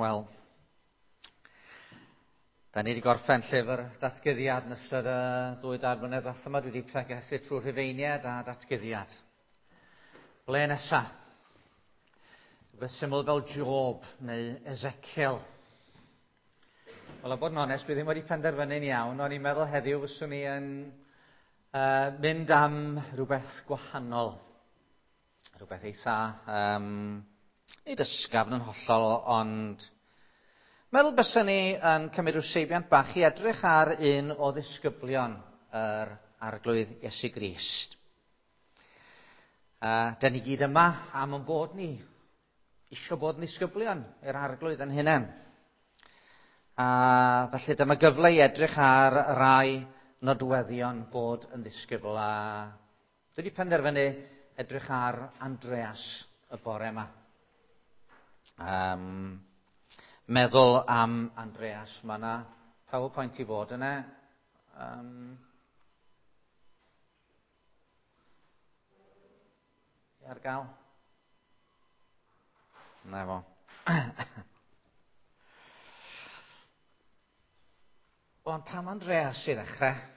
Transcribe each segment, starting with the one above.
Wel, da ni wedi gorffen llyfr datguddiad yn ystod y ddwy dair blynedd ddiwetha yma. Dwi wedi pregethu trwy Rhufeiniad a datguddiad. Ble nesa? Rhywbeth syml fel Job neu Ezekiel. Wel, a bod yn onest, dwi ddim wedi penderfynu'n iawn. O'n i'n meddwl heddiw fyswn i yn mynd am rhywbeth gwahanol. Rhywbeth eitha, nid ysgafn yn hollol, ond meddwl byswn ni yn cymryd rhyw seibiant bach i edrych ar un o ddisgyblion yr Arglwydd Iesu Grist. Da ni gyd yma am yn bod ni isio bod yn ddisgyblion i'r Arglwydd yn hunain. A felly dyma gyfle i edrych ar rai nodweddion bod yn ddisgybl, a dwi wedi penderfynu edrych ar Andreas y bore yma. Meddwl am Andreas, mae yna PowerPoint i fod yna. Ar gael? Na fo. Ond pam Andreas i ddechrau?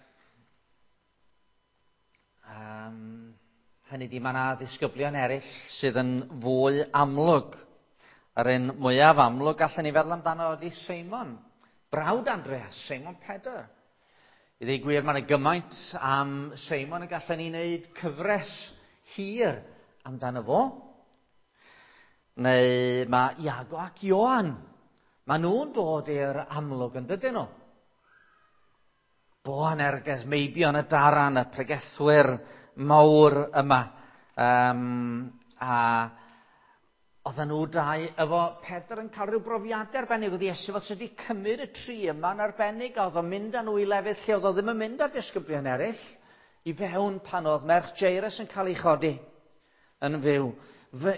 Hynny di, mae yna ddisgyblion eraill sydd yn fwy amlwg. Yr un mwyaf amlwg allan ni feddwl amdano ydy Seimon, brawd Andreas, Seimon Pedr. I ddweud gwir, mae yna gymaint am Seimon y gallen ni wneud cyfres hir amdano fo. Neu mae Iago ac Ioan. Mae nhw'n dod i'r amlwg yn dydyn nhw. Boanerges, meibion y daran, y pregethwyr mawr yma. A oedden nhw dau efo Pedr yn cael rhyw brofiadau arbennig. Oedd Iesu fel sydd wedi cymryd y tri yma'n arbennig, a oedd o'n mynd â nhw i lefydd lle oedd o ddim yn mynd â'r disgyblion eraill, i fewn pan oedd merch Jairus yn cael ei chodi yn fyw,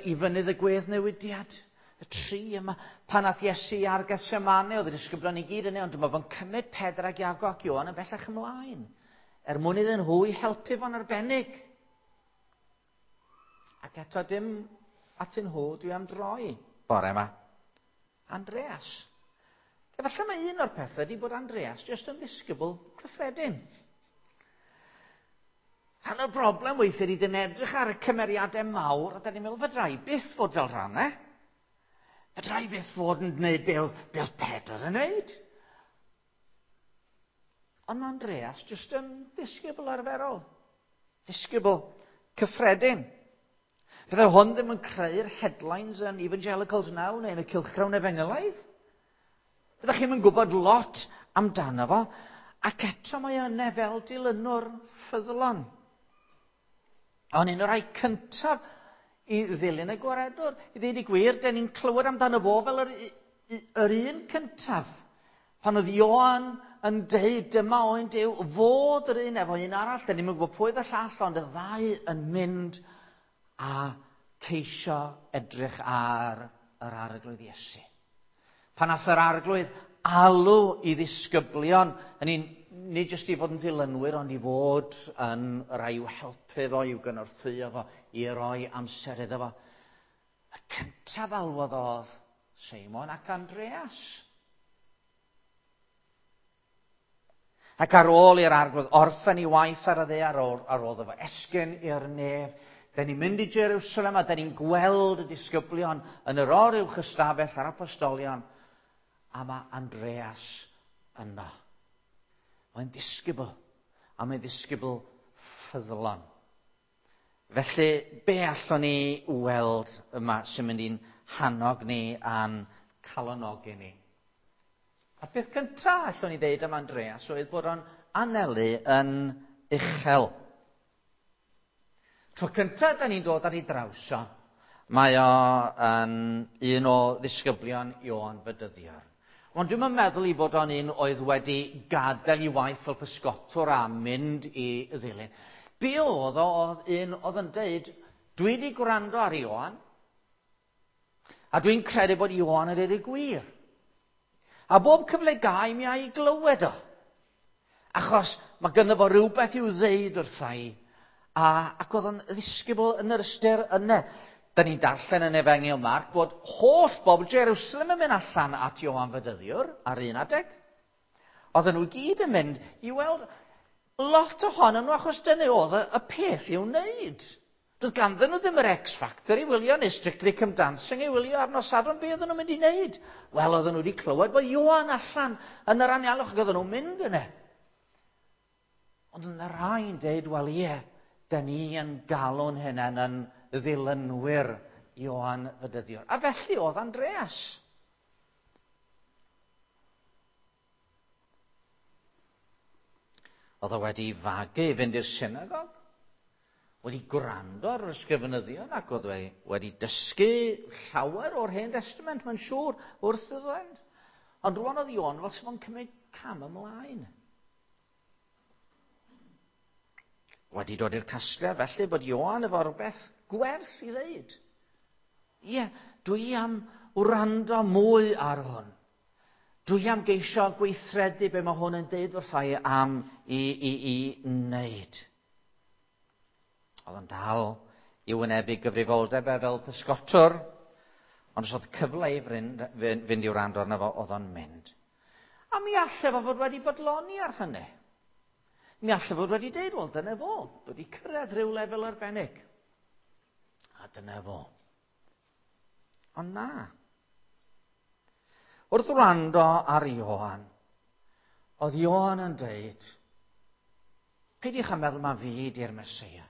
i fynydd y gwedd newidiad. Y tri yma, pan ath Iesu ar Gethsemane, oedd y disgyblion i gyd yna, ond dyma fo'n cymryd Pedr ac Iago ac Ioan yn bellach ymlaen, er mwyn iddyn nhw i helpu fo'n arbennig. Ac eto dim atyn nhw dwi am droi bore yma. Andreas. Efallai mae un o'r pethau ydy bod Andreas jyst yn ddisgybl cyffredin. Rhan o'r broblem weithiau ydy dyn edrych ar y cymeriadau mawr a da ni'n meddwl, fedra i byth fod fel rhan, e? Fedra i byth fod yn gwneud be oedd Pedr yn gwneud. Ond mae Andreas jyst yn ddisgybl arferol. Disgybl cyffredin. Fydde hwn ddim yn creu'r headlines yn Evangelicals Now neu yn y cylchgrawn efengylaidd. Fyddech chi'm yn gwybod lot amdano fo, ac eto mae yna fel dilynwr ffyddlon. Ond un o'r rhai cyntaf i ddilyn y gwaredwr, i ddweud y gwir, dyn ni'n clywed amdano fo fel yr un cyntaf. Pan oedd Ioan yn deud dyma oen Duw, fod yr un efo un arall, dyn ni'n gwybod pwy oedd y llall, ond y ddau yn mynd a ceisio edrych ar yr Arglwydd Iesu. Pan nath yr Arglwydd alw i ddisgyblion, hynny nid jyst i fod yn ddilynwyr, ond i fod yn rai i'w helpu fo, i'w gynorthwyo fo, i roi amser iddo fo. Y cyntaf alwodd oedd Seimon ac Andreas. Ac ar ôl i'r Arglwydd orffen ei waith ar y ddaear, ar ôl iddo fo esgyn i'r nef, da ni'n mynd i Jerusalem a da ni'n gweld y disgyblion yn yr oruwch ystafell a'r apostolion, a mae Andreas yno. Mae'n ddisgybl, a mae'n ddisgybl ffyddlon. Felly, be allwn ni weld yma sy'n mynd i'n hannog ni a'n calonogi ni? A'r peth cyntaf allwn ni ddeud am Andreas oedd bod o'n anelu yn uchel. Tro cyntaf da ni'n dod ar ei draws o, mae o yn un o ddisgyblion Ioan Fedyddiwr. Ond dwi'm yn meddwl i fod o'n un oedd wedi gadael ei waith fel pysgotwr a mynd i ddilyn. Be oedd o, oedd un oedd yn deud, dwi wedi gwrando ar Ioan, a dwi'n credu bod Ioan yn deud y gwir. A bob cyfle gai mi a'i glywed o. Achos mae gynno fo rhywbeth i'w ddeud wrtha i. Ac oedd o'n ddisgybl yn yr ystyr yna. Da ni'n darllen yn Efengyl Marc bod holl bobl Jerusalem yn mynd allan at Ioan Fedyddiwr ar un adeg. Oedden nhw gyd yn mynd i weld lot ohonyn nhw achos dyna oedd y peth i'w wneud. Doedd ganddyn nhw ddim yr X Factor i wylio neu Strictly Come Dancing i wylio ar nos Sadwrn. Be oedden nhw'n mynd i wneud? Wel, oedden nhw wedi clywed bod Ioan allan yn yr anialwch ac oedden nhw'n mynd yna. Ond yna rhai'n deud, wel ie, da ni yn galw'n hunain yn ddilynwyr Ioan Fedyddiwr. A felly oedd Andreas. Oedd o wedi fagu i fynd i'r synagog, wedi gwrando ar yr ysgrifenyddion ac oedd wedi dysgu llawer o'r Hen Testament, mae'n siŵr, wrth iddo fynd. Ond rwan oedd Ioan fel sy'n cymryd cam ymlaen. Wedi dod i'r casgliad felly bod Ioan efo rhywbeth gwerth i ddeud. Ie, dwi am wrando mwy ar hwn. Dwi am geisio gweithredu be mae hwn yn deud wrtha i am i wneud. Oedd o'n dal i wynebu gyfrifoldeb e fel pysgotwr, ond os oedd cyfle i fynd i wrando arno fo, oedd o'n mynd. A mi allai fo fod wedi bodloni ar hynny. Mi allai fod wedi deud, wel, dyna fo, wedi cyrraedd rhyw lefel arbennig. A dyna fo. Ond na. Wrth wrando ar Ioan, oedd Ioan yn deud, peidiwch â meddwl ma fi ydi'r Meseia.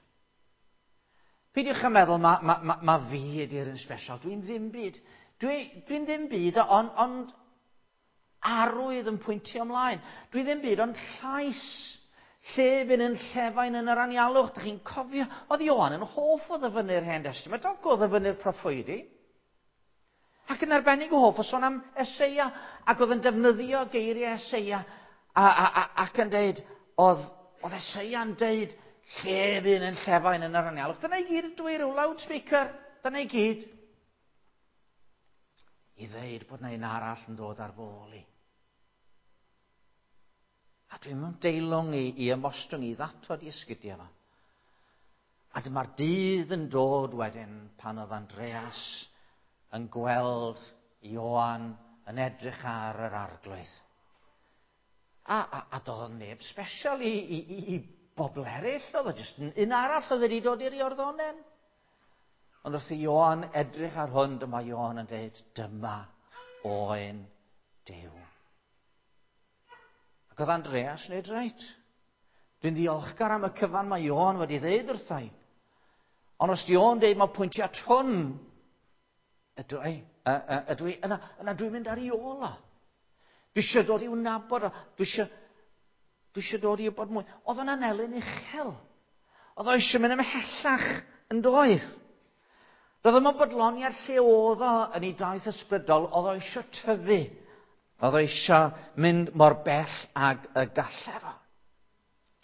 Peidiwch â meddwl ma fi ydi'r un special. Dwi'n ddim byd. Dwi'n ddim byd, ond arwydd yn pwyntio ymlaen. Dwi ddim byd, ond llais llefyn yn llefain yn yr anialwch. Dych chi'n cofio? Oedd Ioan yn hoff o ddyfynnu'r Hen Testament, ac o ddyfynnu'r proffwydi. Ac yn arbennig o hoff o sôn am Eseia, ac oedd yn defnyddio geiriau Eseia, ac yn deud, oedd Eseia'n deud, llefyn yn llefain yn yr anialwch. Dyna i gyd ydw i, rhyw loudspeaker, dyna i gyd. I ddeud bod na un arall yn dod ar fy ôl i. A dwi'n mynd deilwng i ymostwng i ddatod i esgidiau fo. A dyma'r dydd yn dod wedyn pan oedd Andreas yn gweld Ioan yn edrych ar yr arglwydd. A doedd o'n neb special i bobl eraill, oedd o jyst un arall oedd wedi dod i'r Iorddonen. Ond wrth i Ioan edrych ar hwn, dyma Ioan yn dweud, dyma oen Duw. Ac oedd Andreas yn dweud, reit, dwi'n ddiolchgar am y cyfan mae Ioan wedi dweud wrtha i. Ond os di Ioan dweud mae pwyntio at hwn, ydw i, yna dwi'n mynd ar ei ôl o. Dwi eisiau dod i'w nabod o, dwi eisiau dod i wybod mwy. Oedd o'n anelyn uchel. Oedd o eisiau mynd ymhellach yn doedd. Doedd o'm yn bodloni ar lle oedd o yn ei daith ysbrydol, oedd o eisiau tyfu. Oedd o eisiau mynd mor bell ag y gallai fo.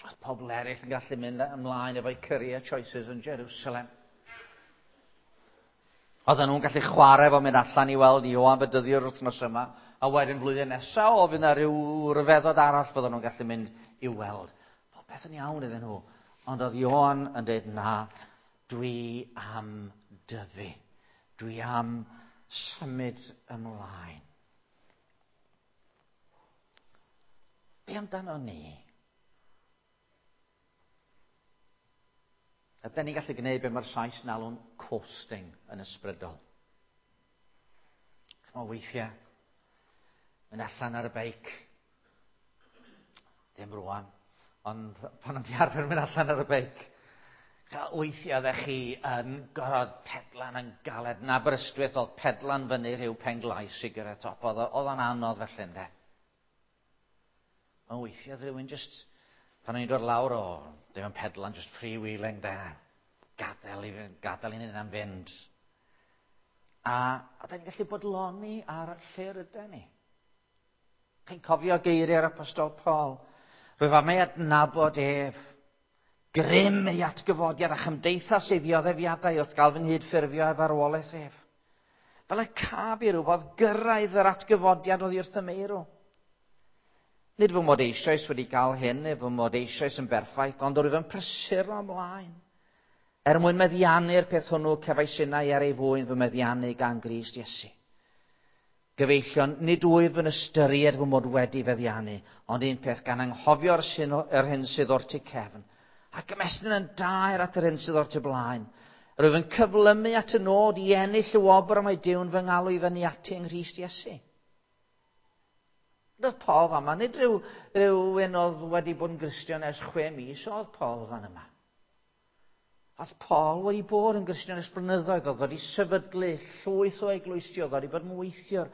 Oedd pobl eraill yn gallu mynd ymlaen efo'u career choices yn Jerusalem. Oedden nhw'n gallu chwarae efo mynd allan i weld Ioan Fedyddiwr wythnos yma, a wedyn blwyddyn nesaf, o, fydd yna rhyw ryfeddod arall fydden nhw'n gallu mynd i'w weld. Popeth yn iawn iddyn nhw. Ond oedd Ioan yn dweud, na, dwi am dyfu. Dwi am symud ymlaen. Be amdano ni? Ydyn ni'n gallu gwneud be mae'r Sais yn alw'n coasting yn ysbrydol. Ch'mo' weithiau, mynd allan ar y beic. Ddim rwan, ond pan o'n i arfer mynd allan ar y beic, weithiau oeddech chi yn gorfod pedlan yn galed. Yn Aberystwyth oedd pedlan fyny rhyw Penglais i gyrraedd top. Oedd o'n anodd felly, ynde? Ond weithiau oedd rhywun just, pan o'n i'n dod lawr o, ddim yn pedlan, just freewheeling, de. Gadael i'n hunan fynd. A da ni'n gallu bodloni ar lle rydyn ni. Chi'n cofio geiriau'r Apostol Paul? Rwyf am ei adnabod ef. Grym ei atgyfodiad a chymdeithas ei ddioddefiadau wrth gael fy nghydffurfio ef farwolaeth ef. Fel y caf i rywfodd gyrraedd yr atgyfodiad oddi wrth y meirw. Nid fy mod eisoes wedi cael hyn, neu fy mod eisoes yn berffaith, ond rwyf yn prysuro ymlaen. Er mwyn meddiannu'r peth hwnnw, cefais innau er ei fwyn fy meddiannu gan Grist Iesu. Gyfeillion, nid wyf yn ystyried fy mod wedi feddiannu, ond un peth gan anghofio'r yr hyn sydd o'r tu cefn, ac ymestyn yn daer at yr hyn sydd o'r tu blaen. Rwyf yn cyflymu at y nod i ennill y wobr y mae Duw'n fy ngalw i fyny ati yng Nghrist Iesu. Roedd Paul fama, nid rhyw, rhywun oedd wedi bod yn Gristion ers 6 mis, oedd Paul fan yma. Oedd Paul wedi bod yn Gristion ers blynyddoedd, oedd wedi sefydlu llwyth o eglwysi, oedd wedi bod yn weithiwr,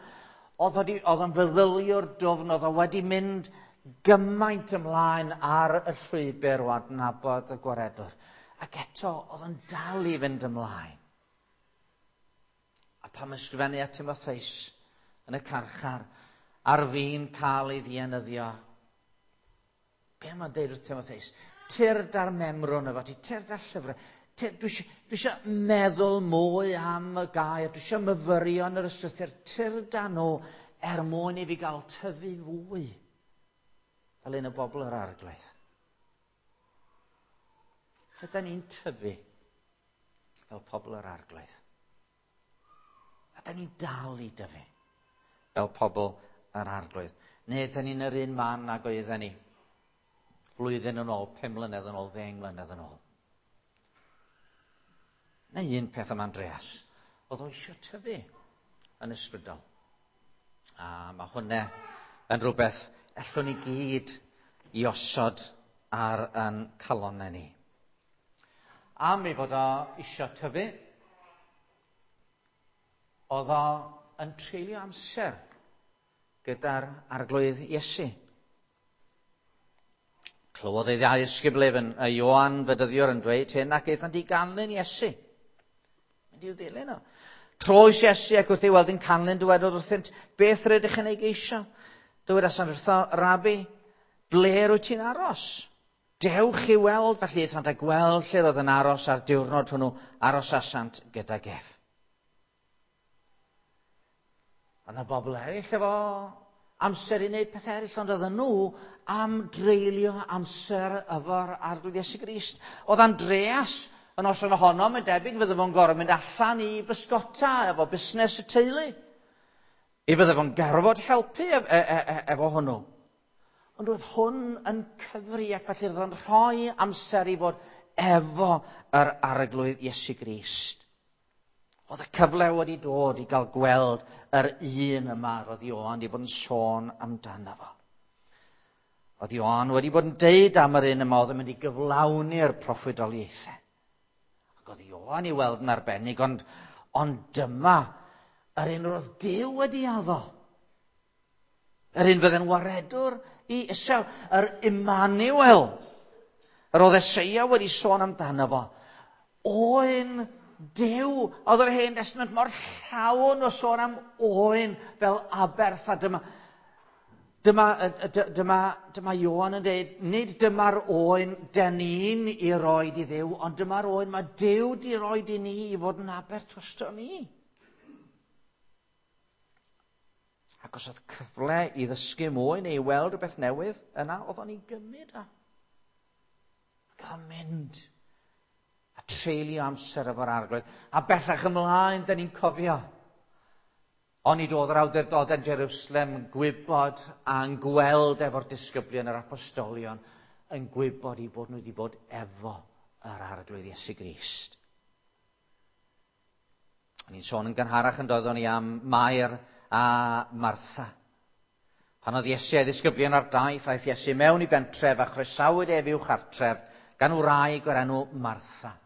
oedd wedi, oedd yn feddyliwr dwfn, oedd o wedi mynd gymaint ymlaen ar y llwybr o adnabod y gwaredwr. Ac eto, oedd yn dal i fynd ymlaen. A pam ysgrifennu at Timotheus yn y carchar, ar fin cael ei ddienyddio, be mae'n deud wrth Timotheus? Tyrd ar memrwn efo ti, tyrd ar llyfrau. Dwi eisiau meddwl mwy am y gair, dwi eisiau myfyrio yn yr ystrythur, tyrd â nhw er mwyn i fi gael tyfu fwy fel un o bobl yr Arglwydd. Ydy ni'n tyfu fel pobl yr Arglwydd? Ydy ni'n dal i dyfu fel pobl yr Arglwydd? Neu ydyn ni'n yr un man ag oedden ni flwyddyn yn ôl, 5 mlynedd yn ôl, 10 mlynedd yn ôl? Neu un peth am Andreas, oedd o eisiau tyfu yn ysbrydol. A mae hwnna yn rhywbeth allwn ni gyd i osod ar yn calonnau ni. Am ei fod o eisiau tyfu, oedd o yn treulio amser gyda'r Arglwydd Iesu. Clywodd ei ddau ddisgybl ef yn Ioan Fedyddiwr yn dweud hyn ac aethant i ganlyn Iesu. Mynd i'w ddilyn o. Troes Iesu ac wrth ei weld yn canlyn dywedodd wrthynt, beth rydych yn ei geisio? Dywedasant wrtho, Rabi, ble rwyt ti'n aros? Dewch i weld, felly aethant a gweld lle roedd yn aros a'r diwrnod hwnnw arosasant gydag ef. A yna bobl eraill efo amser i wneud pethau eraill, ond oedden nhw am dreulio amser efo'r Arglwydd Iesu Grist. Oedd Andreas yn noson ohono, mae'n debyg, fydde fo'n gorfod mynd allan i bysgota efo busnes y teulu. I fydde fo'n gorfod helpu efo hwnnw. Ond oedd hwn yn cyfri ac felly roedd o'n rhoi amser i fod efo yr Arglwydd Iesu Grist. Oedd y cyfle wedi dod i gael gweld yr un yma roedd Ioan wedi bod yn sôn amdano fo. Oedd Ioan wedi bod yn deud am yr un yma oedd yn mynd i gyflawni'r proffwydoliaethau. Ac oedd Ioan i weld yn arbennig, ond, ond dyma yr un roedd Duw wedi addo. Yr un fydde'n waredwr i Israel, yr Immanuel. Yr oedd Eseia wedi sôn amdano fo. Oen Duw. Oedd yr Hen Testament mor llawn o sôn am oen fel aberth a dyma dyma, dyma, dyma Ioan yn dweud, nid dyma'r oen den ni'n i roed i Dduw, ond dyma'r oen mae Duw di roed i ni i fod yn aberth drosto ni. Ac os oedd cyfle i ddysgu mwy neu i weld rhywbeth newydd, yna oedd o'n ei gymryd o. Ac oedd o'n mynd a treulio amser efo'r Arglwydd. A bellach ymlaen, da ni'n cofio. Onid oedd yr awdurdod yn Jerusalem yn gwybod a'n gweld efo'r disgyblion yr apostolion yn gwybod i bod nhw wedi bod efo yr Arglwydd Iesu Grist. O'n i'n sôn yn gynharach yn doeddwn i am Mair a Martha. Pan oedd Iesu a'i ddisgyblion ar daith, aeth Iesu mewn i bentref a chroesawyd ef i'w chartref gan wraig o'r enw Martha.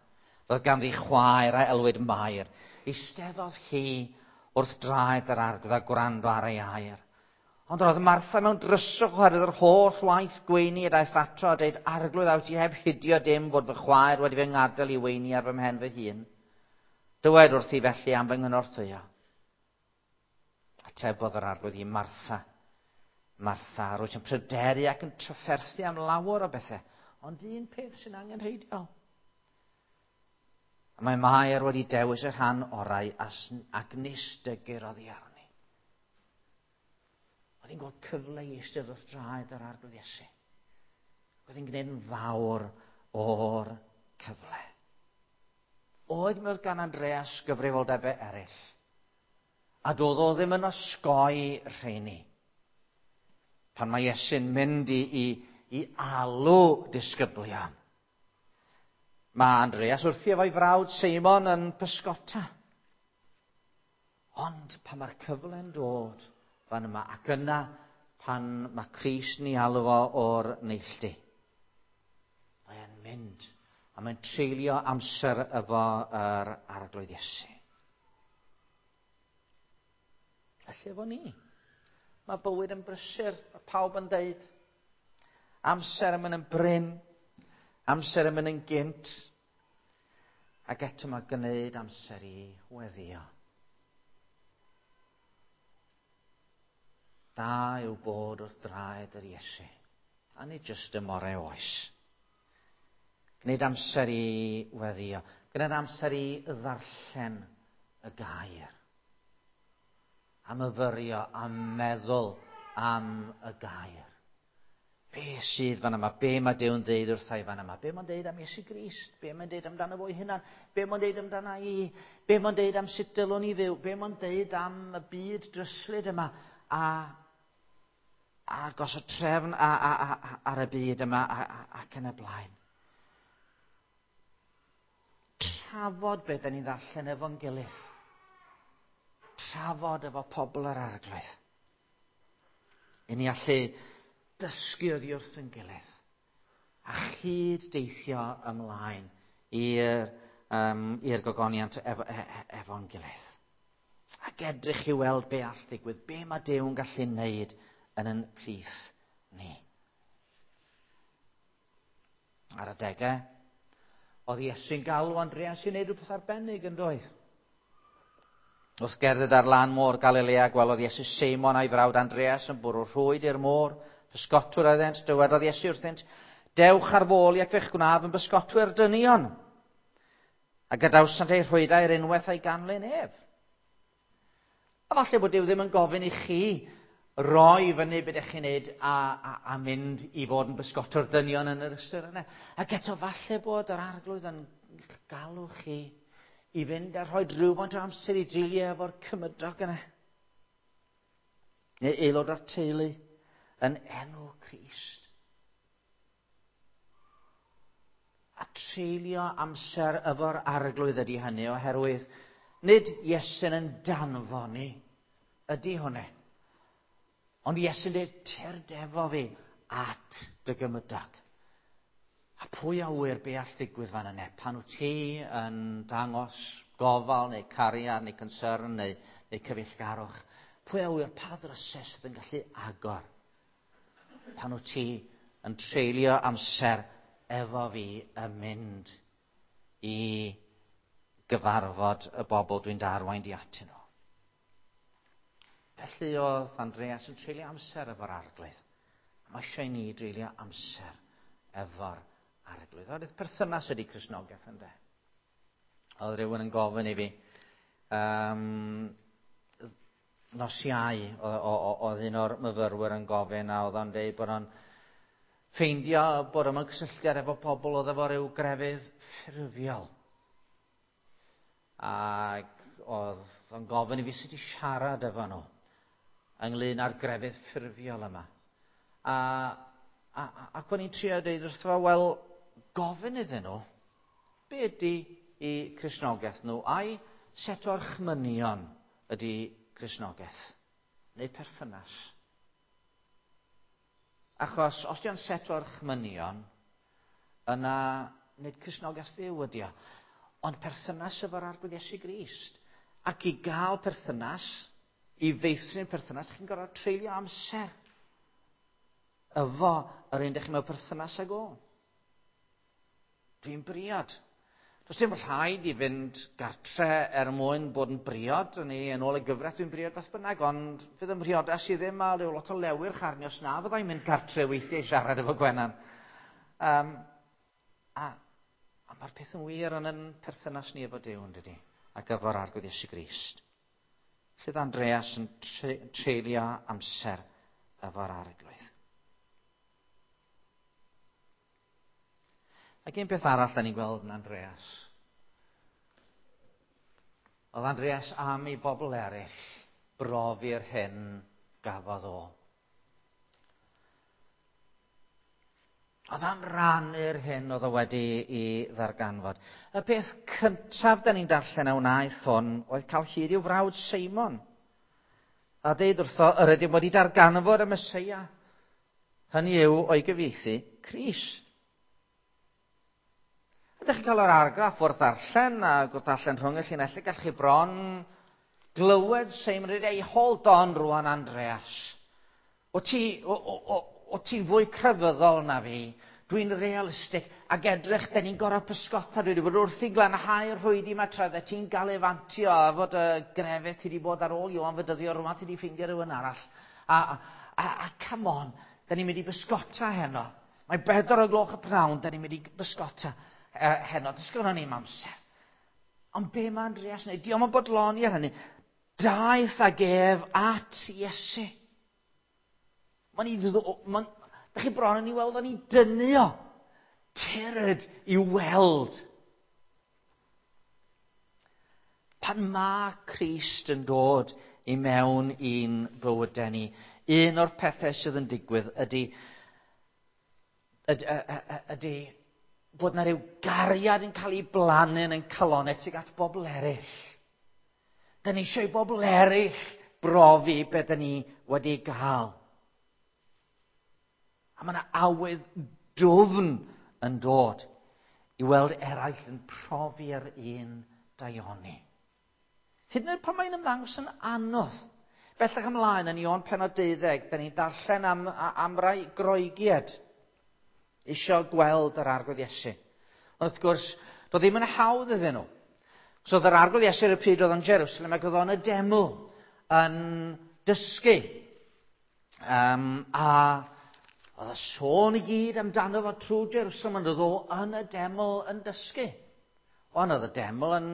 Roedd ganddi chwaer a elwyd Mair. Eisteddodd hi wrth draed yr Arglwydd a gwrando ar ei air. Ond roedd Martha mewn dryswch oherwydd yr holl waith gweini a daeth ato a dweud, Arglwydd, a wyt ti heb hidio dim fod fy chwaer wedi fy ngadael i weini ar fy mhen fy hun? Dywed wrthi felly am fy nghynorthwyo. Atebodd yr Arglwydd i Martha, Martha, rwyt yn pryderu ac yn trafferthu am lawer o bethau, ond un peth sy'n angenrheidiol. A mae Mair wedi dewis y rhan orau ac nis dygir oddi arni. Oedd hi'n gweld cyfle i eistedd wrth draed yr Arglwydd Iesu. Oedd hi'n gwneud yn fawr o'r cyfle. Oedd mi oedd gan Andreas gyfrifoldebau eraill. A doedd o ddim yn osgoi rheini. Pan mae Iesu'n mynd i alw disgyblion. Mae Andreas wrthi efo'i frawd Seimon yn pysgota. Ond pan mae'r cyfle'n dod fan yma, ac yna pan mae Crist yn ei alw fo o'r neilltu, mae'n mynd a mae'n treulio amser efo yr Arglwydd Iesu. Felly efo ni. Mae bywyd yn brysur, mae pawb yn deud. Amser yn mynd yn brin, amser yn mynd yn gynt. Ac eto mae gwneud amser i weddio. Da yw bod wrth draed yr Iesu. A nid jyst y more oes. Gwneud amser i weddio. Gwneud amser i ddarllen y gair. A myfyrio a meddwl am y gair. Be sydd fan yma? Be mae Duw'n ddeud wrtha i fan yma? Be mae'n deud am Iesu Grist? Be mae'n deud amdano fo'i hunan? Be mae'n deud amdano i? Be mae'n deud am sut dylwn i fyw? Be mae'n deud am y byd dryslyd yma? A gosod trefn ar y byd yma ac yn y blaen. Trafod beth da ni'n ddarllen efo'n gilydd. Trafod efo pobl yr Arglwydd. I ni allu dysgu oddi wrth yn gilydd. A chyd deithio ymlaen i'r gogoniant efo'n gilydd. Ac edrych i weld be all ddigwydd, be mae Duw'n gallu wneud yn yn plith ni. Ar adegau, oedd Iesu'n galw Andreas i wneud rhywbeth arbennig yn doedd. Wrth gerdded ar lan môr Galilea, gwelodd Iesu Seimon a'i frawd Andreas yn bwrw rhwyd i'r môr. Pysgotwyr oeddent, dywedodd Iesu wrthynt, dewch ar fôl i ac fe'ch gwnaf yn bysgotwyr dynion. A gadawsant eu rhwydau ar unwaith a'i ganlyn ef. A falle bod Duw ddim yn gofyn i chi roi fyny beth ydych chi'n neud a mynd i fod yn bysgotwr dynion yn yr ystyr yna. Ac eto falle bod yr Arglwydd yn galw chi i fynd a rhoi rhywfaint o amser i dreulio efo'r cymydog yna. Neu aelod o'r teulu yn enw Crist. A treulio amser efo'r Arglwydd ydy hynny, oherwydd nid Iesu'n yn danfon ni ydy hwnna. Ond Iesu'n dweud, tyrd efo fi at dy gymydog. A pwy a ŵyr be all ddigwydd fan yna, pan wyt ti yn dangos gofal neu cariad neu concern neu cyfeillgarwch, pwy a ŵyr pa ddrysau sydd yn gallu agor pan wyt ti yn treulio amser efo fi yn mynd i gyfarfod y bobl dwi'n darwain di atyn nhw. Felly oedd Andreas yn treulio amser efo'r Arglwydd. Mae eisiau i ni dreulio amser efo'r Arglwydd. Oedd perthynas ydy Cristnogaeth ynde. Oedd rhywun yn gofyn i fi, nos Iau, oedd un o'r myfyrwyr yn gofyn, a oedd o'n dweud bod o'n ffeindio bod o'n cysylltiad efo pobl oedd efo ryw grefydd ffurfiol. Ac oedd o'n gofyn i fi sut i siarad efo nhw ynglyn â'r grefydd ffurfiol yma. Ac o'n i'n trio dweud wrtho fo, wel, gofyn iddyn nhw, be ydy i Cristnogaeth nhw, a'i set o orchmynion ydy Cristnogaeth, neu perthynas. Achos os di o'n set o orchmynion, yna nid Cristnogaeth fyw ydy o, ond perthynas efo'r Arglwydd Iesu Grist. Ac i gael perthynas, i feithrin perthynas, chi'n gorfod treulio amser efo yr un dych chi mewn perthynas ag o. Dwi'n briod. Does dim rhaid i fynd gartre er mwyn bod yn briod. Yn ôl y gyfraith dwi'n briod beth bynnag, ond fydd ym mhriodas i ddim a rhyw lot o lewyrch arni os na fyddai'n mynd gartre weithiau i siarad efo Gwenan. A mae'r peth yn wir yn yn perthynas ni efo Duw, yn dydi, ac efo'r Arglwydd Iesu Grist. Lle Andreas yn treulio amser efo'r Arglwydd. Ac un peth arall da ni'n gweld yn Andreas. Oedd Andreas am i bobl eraill brofi'r hyn gafodd o. Oedd am rannu'r hyn oedd o wedi i ddarganfod. Y peth cyntaf da ni'n darllen a wnaeth hwn oedd cael hyd i'w frawd Seimon. A deud wrtho, yr ydym wedi darganfod y Meseia. Hynny yw, o'i gyfieithu, Crist. Ydych chi'n cael yr argraff wrth ddarllen a wrth ddarllen rhwng y llinellau, gallwch chi bron glywed Seimon yn dweud, hold on rwan Andreas. O ti, o, o, o, o ti'n fwy crefyddol na fi. Dwi'n realistig. Ac edrych, da ni'n gorau pysgota. Dwi wedi bod wrth i glanhau'r rhwydi yma tra dde ti'n galefantio a fod y grefydd ti wedi bod ar ôl Ioan Fedyddio rwan ti wedi ffeindio rhywun arall. A, a, a, a come on, da ni'n mynd i bysgota heno. Mae 4 o gloch y pnawn, da ni'n mynd i bysgota heno. Does gynnon ni'm amser. Ond be mae Andreas yn neud? Dio'm yn bodloni ar hynny. Daeth ag ef at Iesu. Mae'n i ddod... Mae'n, da chi bron yn ei weld o'n i dynnu o. Tyrd i weld. Pan mae Crist yn dod i mewn i'n bywydau ni, un o'r pethau sydd yn digwydd ydy, ydy, ydy bod na rhyw gariad yn cael ei blannu yn ein calonnau tuag at bobl eraill. Da ni eisiau i bobl eraill brofi be da ni wedi gael. A mae yna awydd dwfn yn dod i weld eraill yn profi'r un daioni. Hyd yn oed pan mae'n ymddangos yn anodd. Bellach ymlaen yn Ioan pennod 12, da ni'n darllen am, am rai Groegiaid eisiau gweld yr Arglwydd Iesu. Ond wrth gwrs, doedd ddim yn hawdd iddyn nhw. So oedd yr Arglwydd Iesu ar y pryd oedd yn Jerusalem ac oedd o'n y deml yn dysgu. A oedd y sôn i gyd amdano fo trwy Jerusalem, ond oedd o yn y deml yn dysgu. Ond oedd y deml yn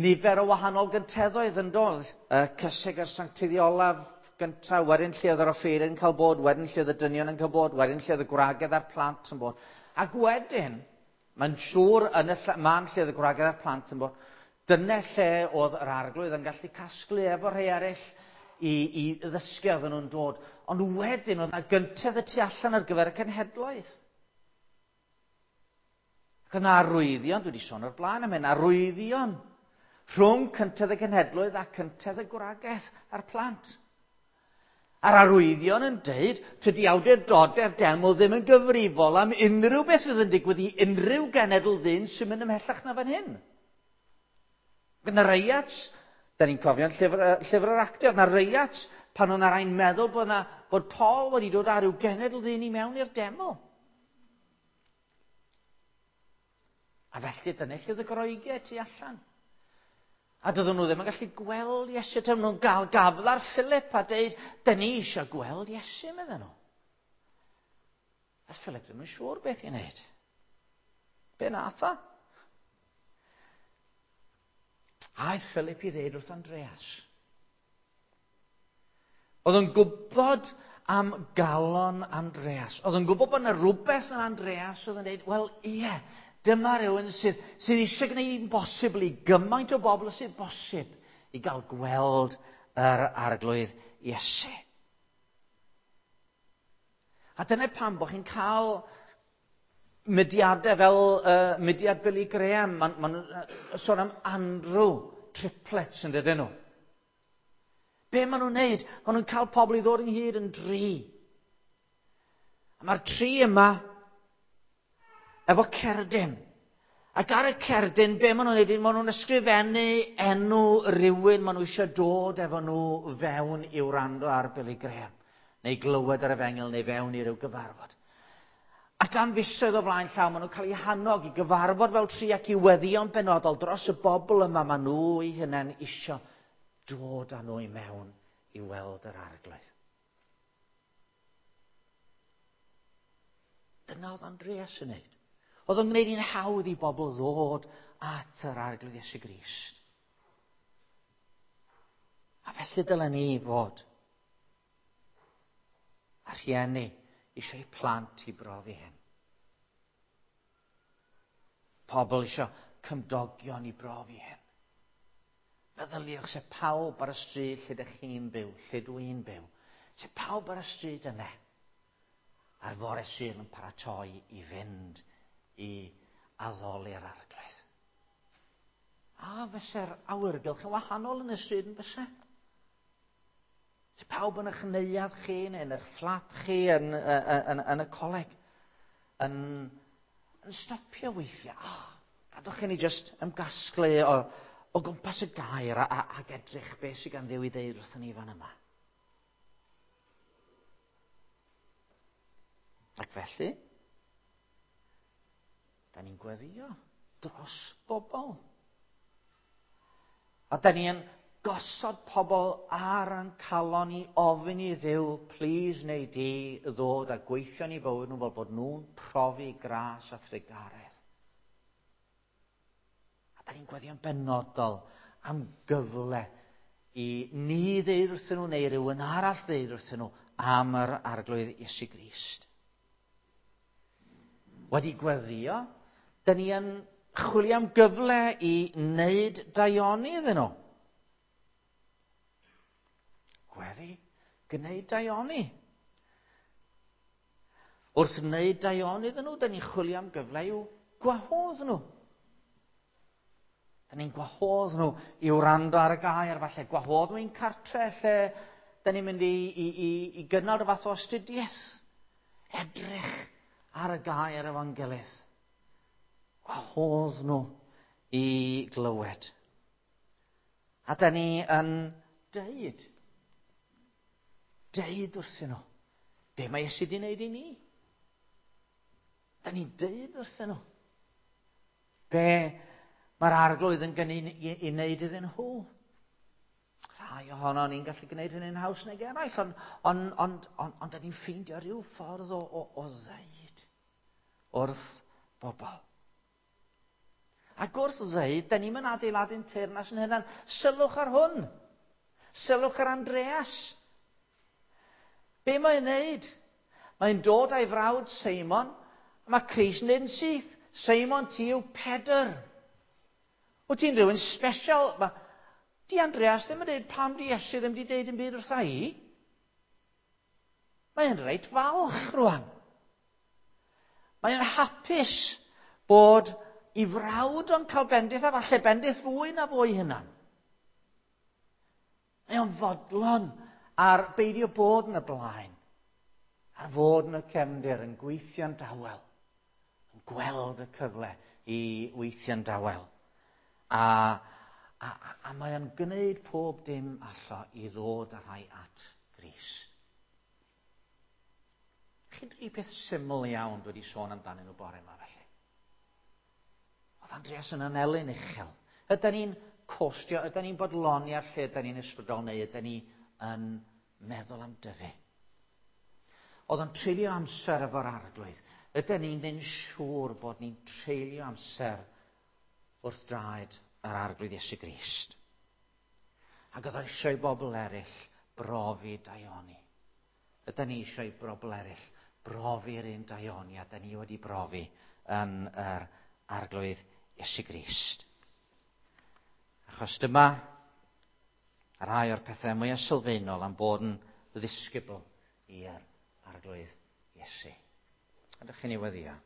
nifer o wahanol gynteddoedd yn dod. Y cysig a'r sanctiddiolaf gyntaf, wedyn lle oedd yr offeiriad yn cael bod, wedyn lle oedd y dynion yn cael bod, wedyn lle oedd y gwragedd a'r plant yn bod. Ac wedyn, mae'n siŵr yn y man lle oedd y gwragedd a'r plant yn bod, dyna lle oedd yr Arglwydd yn gallu casglu efo rhai eraill i ddysgu oedden nhw'n dod. Ond wedyn oedd yna gyntedd y tu allan ar gyfer y cenhedloedd. Ac oedd yna arwyddion, dwi wedi sôn o'r blaen am hyn, arwyddion rhwng cyntedd y cenhedloedd a cyntedd y gwragedd a'r plant. A'r arwyddion yn deud, tydi awdurdodau'r deml ddim yn gyfrifol am unrhyw beth fydd yn digwydd i unrhyw genedl ddyn sy'n mynd ymhellach na fan hyn. Gyda reiat, da ni'n cofio'n llyfr, llyfr yr Actau, oedd na reiat pan oedd na rai'n meddwl bod, na, bod Paul wedi dod â rhyw genedl ddyn i mewn i'r deml. A felly dyna lle oedd y Groegiaid tu allan. A doedden nhw ddim yn gallu gweld Iesu. Dyma nhw'n gael gafel ar Philip a deud, dyn ni eisiau gweld Iesu, medden nhw. A Philip ddim yn siŵr beth i wneud. Be nath o? Aeth Philip i ddeud wrth Andreas. Oedd yn gwybod am galon Andreas. Oedd yn gwybod bod yna rhywbeth yn Andreas oedd yn dweud, wel ie, dyma rhywun sydd, sydd eisiau gwneud yn bosibl i gymaint o bobl sydd bosib i gael gweld yr Arglwydd Iesu. A dyna pam bod chi'n cael mudiadau fel mudiad Billy Graham. Maen ma nhw'n sôn am Andrew triplets yn dydyn nhw. Be maen nhw'n neud? Maen nhw'n cael pobl i ddod ynghyd yn dri. A mae'r tri yma efo cerdyn. Ac ar y cerdyn, be maen nhw'n neud? Maen nhw'n ysgrifennu enw rhywun maen nhw eisiau dod efo nhw fewn i wrando ar Billy Graham. Neu glywed ar efengyl, neu fewn i ryw gyfarfod. Ac am fisoedd o flaen llaw, maen nhw'n cael eu hannog i gyfarfod fel tri ac i weddïo'n benodol dros y bobl yma maen nhw eu hunain isio dod â nhw i mewn i weld yr Arglwydd. Dyna oedd Andreas yn wneud. Oedd o'n gwneud hi'n hawdd i bobl ddod at yr Arglwydd Iesu Grist. A felly dylen ni fod. A rhieni eisiau plant i brofi hyn. Pobl eisiau cymdogion i brofi hyn. Meddyliwch se pawb ar y stryd lle ydych chi'n byw, lle dwi'n byw. Se pawb ar y stryd yna, ar fore Sul yn paratoi i fynd i addoli'r Arglwydd. A fyse'r awyrgylch yn wahanol yn y stryd yn fyse? Se pawb yn eich neuadd chi neu yn eich fflat chi yn y coleg yn stopio weithiau. Oh, gadwch chi ni just ymgasglu o gwmpas y gair ac edrych beth sydd gan Dduw i ddeud wrthyn ni fan yma. Ac felly, da ni'n gweddio dros bobl. A da ni'n gosod pobl ar ein calon i ofyn i Dduw, please neu di ddod a gweithio ni bywyd nhw fel bod nhw'n profi gras a thrugaredd. A da ni'n gweddio'n benodol am gyfle i ni ddeud wrthyn nhw neu rhywun arall ddeud wrthyn nhw am yr Arglwydd Iesu Grist. Wedi gweddio, da ni yn chwilio am gyfle i wneud daioni iddyn nhw. Gweddi, gwneud daioni. Wrth wneud daioni iddyn nhw, da ni'n chwilio am gyfle i'w gwahodd nhw. Da ni'n gwahodd nhw i wrando ar y gair, falle gwahodd nhw i'n cartre lle da ni'n mynd i gynnal rhyw fath o astudiaeth. Edrych ar y gair efo'n gilydd. Gwahodd nhw i glywed. A da ni yn deud wrthyn nhw, be mae Iesu wedi wneud i ni? Da ni'n deud wrthyn nhw, be mae'r Arglwydd yn gynnu i wneud iddyn nhw. Rhai ohono ni'n gallu gwneud hynny'n haws nag eraill, ond da ni'n ffeindio rhyw ffordd o ddeud wrth bobl. Ac wrth ddeud, da ni'n mynd adeiladu'n teyrnas yn hynna'n. Sylwch ar hwn. Sylwch ar Andreas. Be mae'n wneud? Mae'n dod â'i frawd Seimon, a mae Crist yn dweud yn syth, Seimon, ti yw Pedr. Wyt ti'n rhywun special? Di Andreas ddim yn dweud pam di Iesu ddim wedi dweud yn byd wrtha i. Mae'n reit falch rwan. Mae'n hapus bod i frawd o'n cael bendith a falle bendith fwy na fwy hunan. Mae o'n fodlon ar beidio bod yn y blaen, ar fod yn y cefndir, yn gweithio'n dawel, yn gweld y cyfle i weithio'n dawel. A mae o'n gwneud pob dim allo i ddod â rhai at Grist. Chi'n dri peth syml iawn dwi wedi sôn amdanyn nhw bore yma felly. Oedd Andreas yn anelyn uchel. Ydy ni'n costio, ydy ni'n bodloni ar lle ydy ni'n ysbrydol, neu ydy ni yn meddwl am dyfu? Oedd o'n treulio amser efo'r Arglwydd. Ydy ni'n mynd siŵr bod ni'n treulio amser wrth draed yr Arglwydd Iesu Grist? Ac oedd o eisiau i bobl eraill brofi daioni. Ydy ni eisiau i bobl eraill brofi'r un daioni a da ni wedi brofi yn yr Arglwydd Iesu Grist. Achos dyma rhai o'r pethau mwyaf sylfaenol am bod yn ddisgybl i'r Arglwydd Iesu. Ydych chi'n ei weddio?